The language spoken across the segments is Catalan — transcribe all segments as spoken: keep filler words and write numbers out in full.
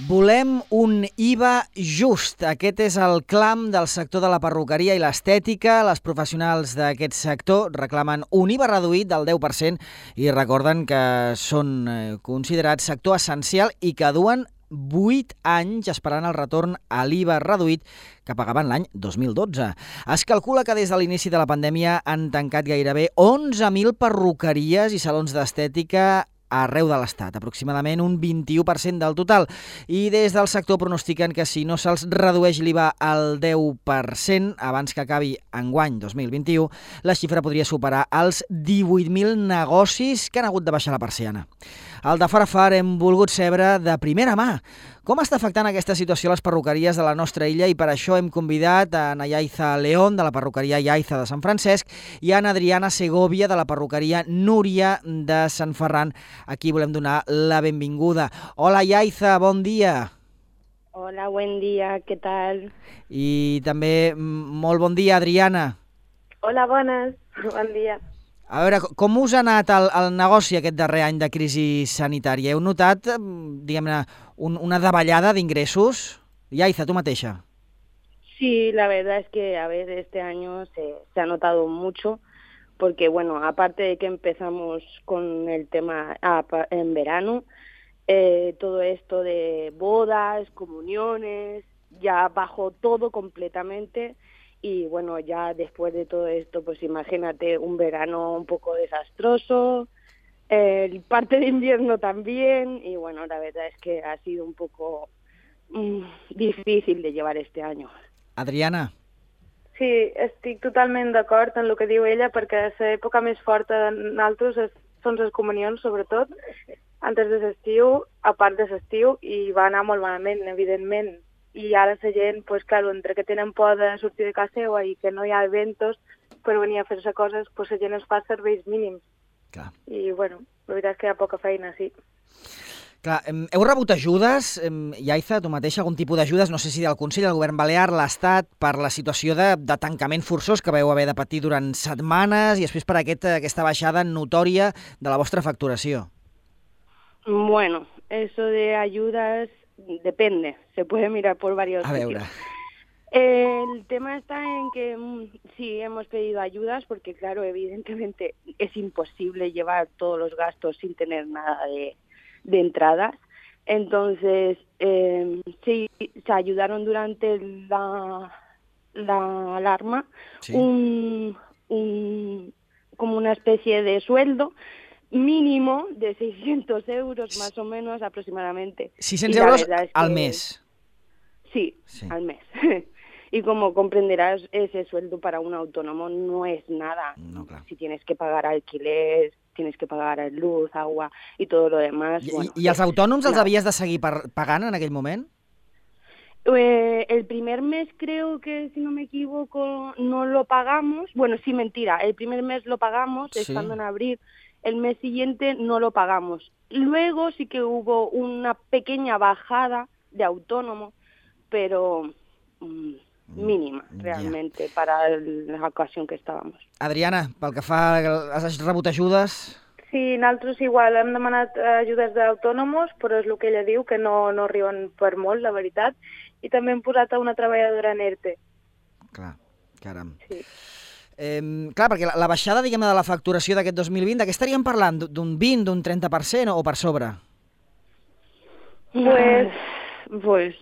Volem un I V A just. Aquest és el clam del sector de la perruqueria i l'estètica. Les professionals d'aquest sector reclamen un I V A reduït del deu per cent i recorden que són considerats sector essencial i que duen vuit anys esperant el retorn a l'I V A reduït que pagaven l'any dos mil dotze. Es calcula que des de l'inici de la pandèmia han tancat gairebé onze mil perruqueries i salons d'estètica arreu de l'Estat, aproximadament un vint-i-u per cent del total. I des del sector pronostiquen que si no se'ls redueix l'I V A al deu per cent abans que acabi enguany dos mil vint-i-u, la xifra podria superar els divuit mil negocis que han hagut de baixar la persiana. Al de far a far hem volgut saber de primera mà com està afectant aquesta situació a les perruqueries de la nostra illa i per això hem convidat a Ana Yaiza León de la perruqueria Yaiza de Sant Francesc i a Ana Adriana Segovia de la perruqueria Núria de Sant Ferran. Aquí volem donar la benvinguda. Hola Yaiza, bon dia. Hola, buen dia, què tal? I també molt bon dia, Adriana. Hola, bones, bon dia. A veure, com us ha anat el, el negoci aquest darrer any de crisi sanitària? Heu notat, diguem-ne, un, una davallada d'ingressos? Yaiza, tu mateixa. Sí, la verdad es que, a ver, este año se, se ha notado mucho, porque, bueno, aparte de que empezamos con el tema ah, en verano, eh, todo esto de bodas, comuniones, ya bajó todo completamente. Y bueno, ya después de todo esto, pues imagínate un verano un poco desastroso, el parte de invierno también, y bueno, la verdad es que ha sido un poco mm, difícil de llevar este año. Adriana. Sí, estic totalment d'acord en el que diu ella, perquè l'època més forta de nosaltres són les comunions, sobretot, antes de l'estiu, a part de l'estiu, i va anar molt malament, evidentment. I ara la gent, pues, claro, entre que tenen por de sortir de casa seva i que no hi ha eventos per venir a fer-se coses, pues, la gent es fa serveis mínims. Clar. I, bueno, la veritat és que hi ha poca feina, sí. Clar, heu rebut ajudes, Yaiza, tu mateixa, algun tipus d'ajudes, no sé si del Consell, del Govern Balear, l'Estat, per la situació de, de tancament forçós que vau haver de patir durant setmanes i després per aquest, aquesta baixada notòria de la vostra facturació? Bueno, eso de ayudas depende, se puede mirar por varios a sitios. Veure. El tema está en que sí hemos pedido ayudas porque, claro, evidentemente es imposible llevar todos los gastos sin tener nada de, de entradas. Entonces, eh, sí, se ayudaron durante la, la alarma, sí. un, un, como una especie de sueldo mínimo de seiscientos euros más o menos aproximadamente. seiscientos euros es al que... mes. Sí, sí, al mes. Y como comprenderás, ese sueldo para un autónomo no es nada. No, claro. Si tienes que pagar alquiler, tienes que pagar luz, agua y todo lo demás. I, bueno, i els autònoms els havies de seguir pagant en aquell moment? Eh, el primer mes creo que, si no me equivoco, no lo pagamos. Bueno, sí, mentira. El primer mes lo pagamos, sí. Estando en abril. El mes siguiente no lo pagamos. Luego sí que hubo una pequeña bajada de autónomo, pero mmm, mínima, realmente, yeah. Para la ocasión que estábamos. Adriana, pel que fa, has rebut ajudes? Sí, nosaltres igual hem demanat ajudes d'autònomos, però és el que ella diu, que no, no arriben per molt, la veritat, i també hem posat a una treballadora en ERTE. Clar, caram. Sí. Eh, clar, perquè la, la baixada, diguem, de la facturació d'aquest dos mil vint, de què estaríem parlant? D'un vint, d'un trenta per cent o per sobre? Pues... pues...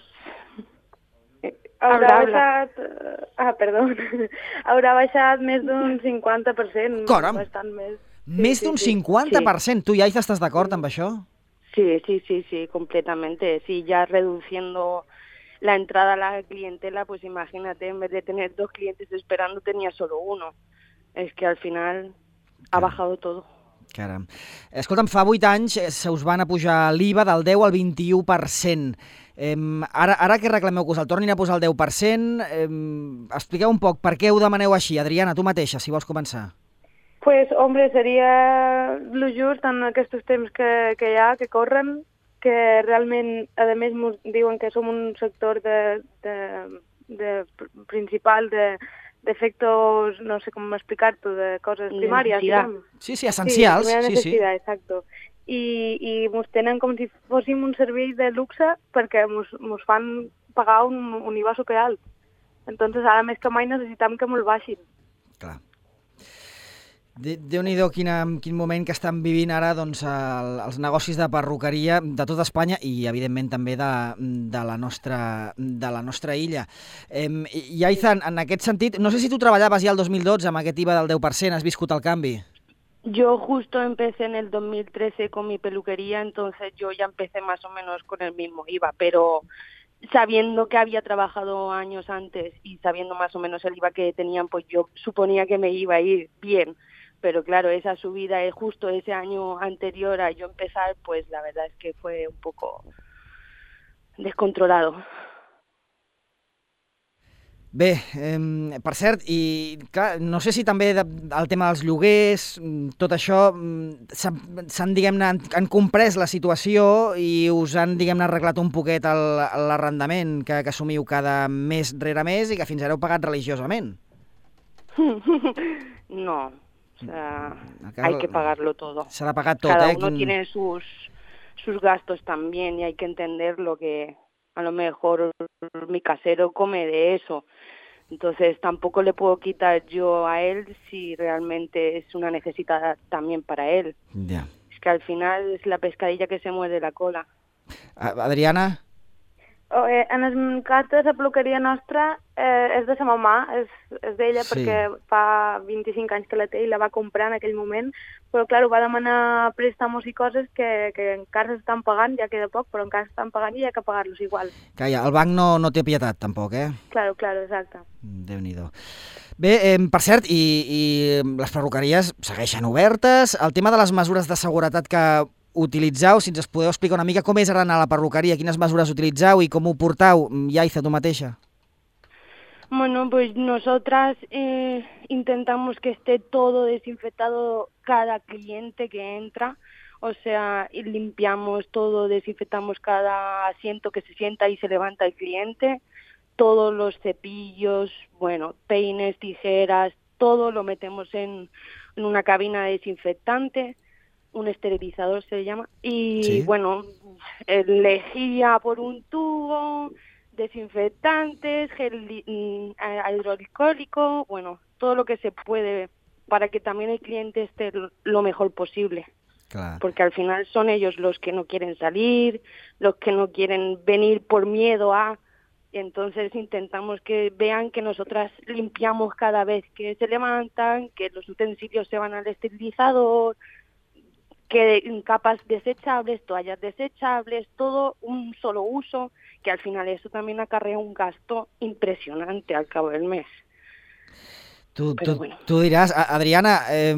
Haurà baixat... Ah, perdó. Haurà baixat més d'un cinquanta per cent. Caram! Bastant més. Més sí, d'un sí, cinquanta per cent. Sí. Tu, Yaiza, estàs d'acord amb això? Sí, sí, sí, sí, completamente. Sí, ya reduciendo la entrada a la clientela, pues imagínate, en vez de tener dos clientes esperando, tenía solo uno. Es que al final ha bajado todo. Caram. Escolta'm, fa vuit anys se us van a pujar l'I V A del deu al vint-i-u per cent. Eh, ara, ara que reclameu que us el tornin a posar el deu per cent, eh, expliqueu un poc per què ho demaneu així. Adriana, tu mateixa, si vols començar. Pues, hombre, seria lo just en aquests temps que, que hi ha, que corren, que realment, a més, ens diuen que som un sector de, de, de principal de defectos, no sé cómo explicar-t'ho, de cosas primarias, digamos. Sí, sí, essencials. Sí, primera necesidad, sí, sí. Exacto. i, i mos tenen com si fóssim un servei de luxe perquè mos, mos fan pagar un, un I V A superalt. Entonces ara més que mai necessitam que mos baixin. Clar. Déu-n'hi-do quin, quin moment que estan vivint ara doncs, el, els negocis de perruqueria de tota Espanya i, evidentment, també de, de, la, nostra, de la nostra illa. Eh, I, Aiza, en, en aquest sentit, no sé si tu treballaves ja el dos mil dotze amb aquest I V A del deu per cent, has viscut el canvi? Yo justo empecé en el dos mil trece con mi peluquería, entonces yo ya empecé más o menos con el mismo I V A, pero sabiendo que había trabajado años antes y sabiendo más o menos el I V A que tenían, pues yo suponía que me iba a ir bien. Pero claro, esa subida es justo ese año anterior a yo empezar, pues la verdad es que fue un poco descontrolado. Bé, eh, per cert, i clar, no sé si també de, el tema dels lloguers, tot això, s'han, diguem-ne, han, han comprès la situació i us han, diguem-ne, arreglat un poquet l'arrendament que, que assumiu cada mes rere mes i que fins ara heu pagat religiosament. No. O sea, hay que pagarlo todo. Se la paga todo. Cada ¿eh? uno tiene sus, sus gastos también y hay que entender lo que a lo mejor mi casero come de eso. Entonces tampoco le puedo quitar yo a él si realmente es una necesidad también para él. Yeah. Es que al final es la pescadilla que se muerde la cola. Adriana? Oh, eh, en el cas de la peluqueria nostra eh, és de sa mamà, és, és d'ella sí. Perquè fa vint-i-cinc anys que la té i la va comprar en aquell moment, però clar, va demanar préstamos i coses que, que encara s'estan pagant, ja queda poc, però encara s'estan pagant i hi ha que pagar-los igual. Que ja, el banc no, no té pietat tampoc, eh? Claro, claro, exacte. Déu-n'hi-do. Bé, eh, per cert, i, i les perruqueries segueixen obertes. El tema de les mesures de seguretat que utilitzau, si ens podeu explicar una mica com és ara anar a la perruqueria, quines mesures utilitzau i com ho portau, Yaiza, tu mateixa? Bueno, pues nosotras eh, intentamos que esté todo desinfectado cada cliente que entra, o sea, limpiamos todo, desinfectamos cada asiento que se sienta y se levanta el cliente, todos los cepillos, bueno, peines, tijeras, todo lo metemos en, en una cabina de desinfectante, un esterilizador se llama, y ¿sí? Bueno, lejía por un tubo, desinfectantes, gel hidroalcohólico, bueno, todo lo que se puede para que también el cliente esté lo mejor posible. Claro. Porque al final son ellos los que no quieren salir, los que no quieren venir por miedo a... Y entonces intentamos que vean que nosotras limpiamos cada vez que se levantan, que los utensilios se van al esterilizador, que capas desechables, toallas desechables, todo un solo uso, que al final eso también acarrea un gasto impresionante al cabo del mes. Tu, tu, bueno. tu diràs, Adriana, eh,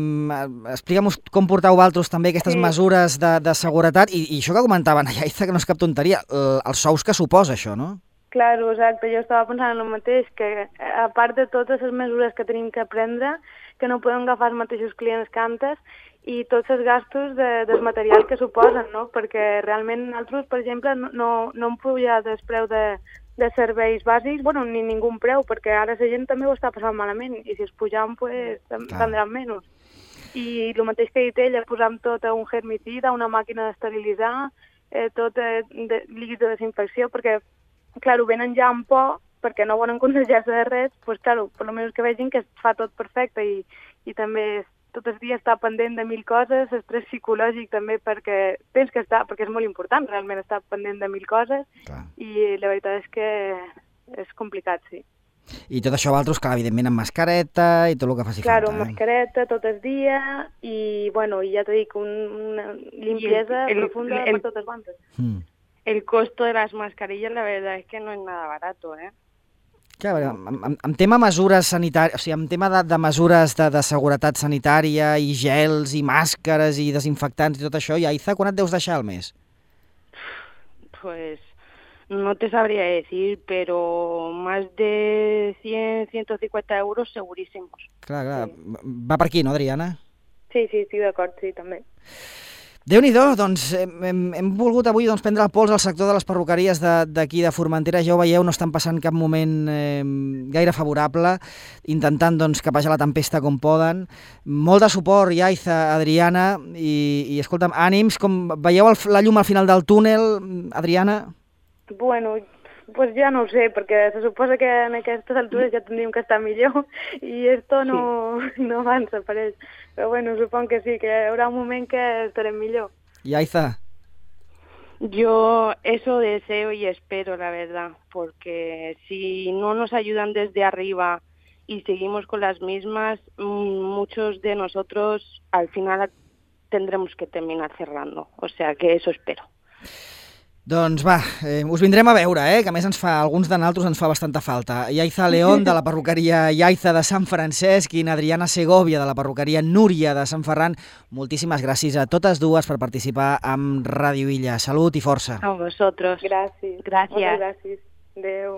explica'm com portau vosaltres també aquestes sí. mesures de, de seguretat i, i això que comentaven a Yaiza, que no és cap tonteria, el, els sous que suposa això, no? Claro, exacte, jo estava pensant en el mateix, que a part de totes les mesures que tenim que prendre, que no podem agafar els mateixos clients que antes, i tots els gastos de, del material que suposen, no? Perquè realment nosaltres, per exemple, no, no, no hem pujat el preu de, de serveis bàsics, bueno, ni ningú preu, perquè ara la gent també ho està passant malament, i si es pujam, pues, prendran menys. I el mateix que ha dit ella, posam tot a un germicida, una màquina d'esterilitzar, eh, tot eh, de, líquid de desinfecció, perquè, clar, ho venen ja en por, perquè no volen contagiar-se de res, doncs, pues, clar, per almenys que vegin que es fa tot perfecte i, i també tot el dia està pendent de mil coses, estrès psicològic també perquè tens que estar, perquè és molt important realment estar pendent de mil coses. Clar. I la veritat és que és complicat, sí. I tot això vosaltres, clar, evidentment amb mascareta i tot el que faci claro, falta. Claro, amb mascareta tot el dia i, bueno, i ja t'ho dic, un, una limpieza el, el, profunda el, per totes bandes. Hmm. El costo de las mascarillas, la verdad es que no es nada barato, ¿eh? Clar, en, en, en tema mesures sanitàries, o sigui, en tema de, de mesures de, de seguretat sanitària i gels i màscares i desinfectants i tot això, Yaiza, quan et deus deixar al mes? Pues no te sabría decir, pero más de cien, ciento cincuenta euros segurísimos. Clar, clar, sí. Va per aquí, no, Adriana? Sí, sí, estic d'acord, sí, també. Déu-n'hi-do, doncs hem, hem, hem volgut avui doncs, prendre el pols al sector de les perruqueries d'aquí de, de Formentera. Ja ho veieu, no estan passant cap moment eh, gaire favorable, intentant doncs, capejar la tempesta com poden. Molt de suport, Yaiza, Adriana, i, i escolta'm, ànims, com veieu el, la llum al final del túnel, Adriana? Bueno, pues ja no ho sé, perquè se suposa que en aquestes altures ja tindríem que estar millor i esto no, sí. no avança per ells. Però bueno, supongo que sí, que hi haurà un moment que estarem millor. Yaiza. Yo eso deseo y espero, la verdad, porque si no nos ayudan desde arriba y seguimos con las mismas, muchos de nosotros al final tendremos que terminar cerrando. O sea que eso espero. Doncs va, eh, us vindrem a veure, eh, que a més ens fa, alguns de nosaltres ens fa bastanta falta. Yaiza León, de la perruqueria Yaiza de Sant Francesc, i Adriana Segovia, de la perruqueria Núria de Sant Ferran. Moltíssimes gràcies a totes dues per participar amb Ràdio Illa. Salut i força. A vosotros. Gràcies. Gràcies. Gràcies. Adéu.